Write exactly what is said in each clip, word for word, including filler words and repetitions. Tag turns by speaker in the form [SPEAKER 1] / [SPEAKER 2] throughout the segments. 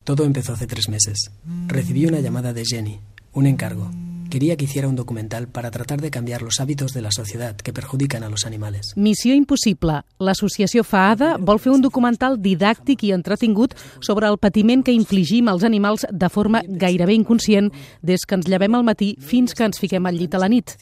[SPEAKER 1] Todo empezó hace tres meses. Recibí una llamada de Jenny, un encargo. Quería que hiciera un documental para tratar de cambiar los hábitos de la sociedad que perjudican a los animales.
[SPEAKER 2] Missió impossible. L'associació FAADA vol fer un documental didàctic i entretingut sobre el patiment que infligim als animals de forma gairebé inconscient des que ens llevem al matí fins que ens fiquem al llit a la nit.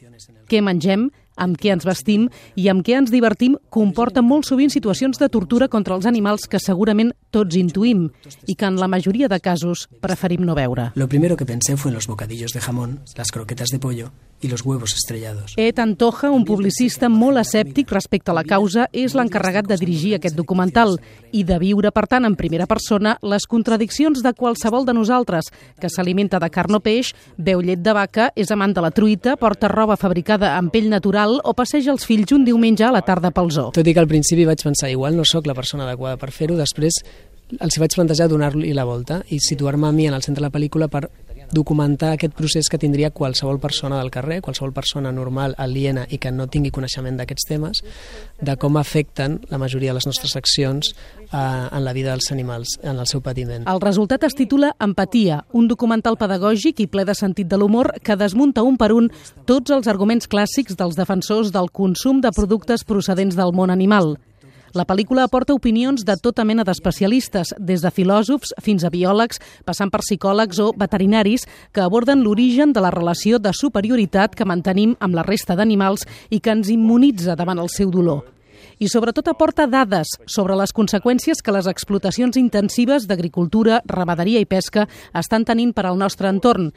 [SPEAKER 2] Què mengem, amb què ens vestim i amb què ens divertim comporta molt sovint situacions de tortura contra els animals que segurament tots intuïm i que en la majoria de casos preferim no veure.
[SPEAKER 1] Lo primero que pensé fue en los bocadillos de jamón, las croquetas de pollo y los huevos estrellados.
[SPEAKER 2] Ed Antoja, un publicista molt escèptic respecte a la causa, és l'encarregat de dirigir aquest documental i de viure, per tant, en primera persona les contradiccions de qualsevol de nosaltres, que s'alimenta de carn o peix, beu llet de vaca, és amant de la truita, porta roba fabricada amb pell natural o passeja els fills un diumenge a la tarda pel zoo.
[SPEAKER 1] Tot i que al principi vaig pensar, igual no sóc la persona adequada per fer-ho, després els vaig plantejar donar-li la volta i situar-me a mi en el centre de la pel·lícula per documentar aquest procés que tindria qualsevol persona del carrer, qualsevol persona normal, aliena i que no tingui coneixement d'aquests temes, de com afecten la majoria de les nostres accions eh, en la vida dels animals, en el seu patiment.
[SPEAKER 2] El resultat es titula Empatia, un documental pedagògic i ple de sentit de l'humor que desmunta un per un tots els arguments clàssics dels defensors del consum de productes procedents del món animal. La pel·lícula aporta opinions de tota mena d'especialistes, des de filòsofs fins a biòlegs, passant per psicòlegs o veterinaris, que aborden l'origen de la relació de superioritat que mantenim amb la resta d'animals i que ens immunitza davant el seu dolor. I sobretot aporta dades sobre les conseqüències que les explotacions intensives d'agricultura, ramaderia i pesca estan tenint per al nostre entorn.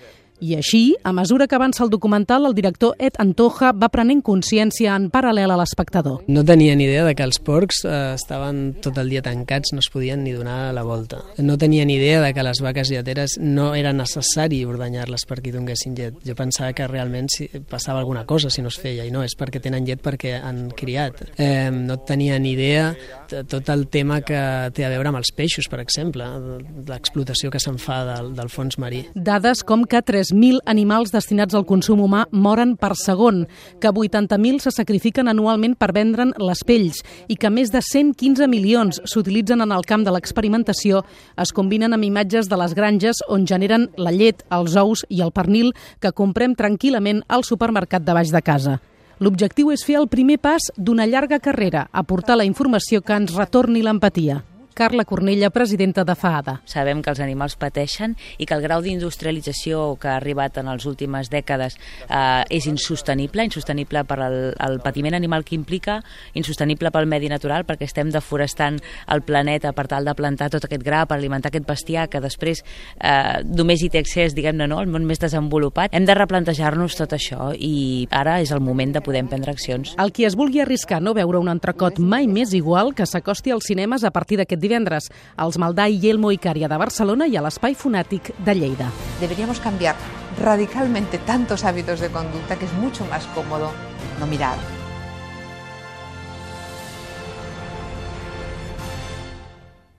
[SPEAKER 2] I així, a mesura que avança el documental, el director Ed Antoja va prenent consciència en paral·lel a l'espectador.
[SPEAKER 1] No tenia ni idea de que els porcs eh, estaven tot el dia tancats, no es podien ni donar la volta. No tenia ni idea de que les vaques lleteres no era necessari ordenyar-les perquè donguessin llet. Jo pensava que realment si passava alguna cosa si no es feia, i no, és perquè tenen llet perquè han criat. Eh, no tenia ni idea de tot el tema que té a veure amb els peixos, per exemple, l'explotació que se'n fa del, del fons marí.
[SPEAKER 2] Dades com que tres mil animals destinats al consum humà moren per segon, que vuitanta mil se sacrifiquen anualment per vendre'n les pells i que més de cent quinze milions s'utilitzen en el camp de l'experimentació es combinen amb imatges de les granges on generen la llet, els ous i el pernil que comprem tranquil·lament al supermercat de baix de casa. L'objectiu és fer el primer pas d'una llarga carrera, aportar la informació que ens retorni l'empatia. Carla Cornella, presidenta de FAADA.
[SPEAKER 3] Sabem que els animals pateixen i que el grau d'industrialització que ha arribat en les últimes dècades eh, és insostenible, insostenible per al, el patiment animal que implica, insostenible pel medi natural perquè estem deforestant el planeta per tal de plantar tot aquest gra per alimentar aquest bestiar que després eh, només hi té accés, diguem-ne, no, el món més desenvolupat. Hem de replantejar-nos tot això i ara és el moment de poder emprendre accions.
[SPEAKER 2] El qui es vulgui arriscar a no veure un entrecot mai més igual que s'acosti als cinemes a partir d'aquest divendres, als Maldà i Yelmo Icària de Barcelona i a l'Espai Fonàtic de Lleida.
[SPEAKER 4] Deberíamos cambiar radicalmente tantos hábitos de conducta que es mucho más cómodo no mirar.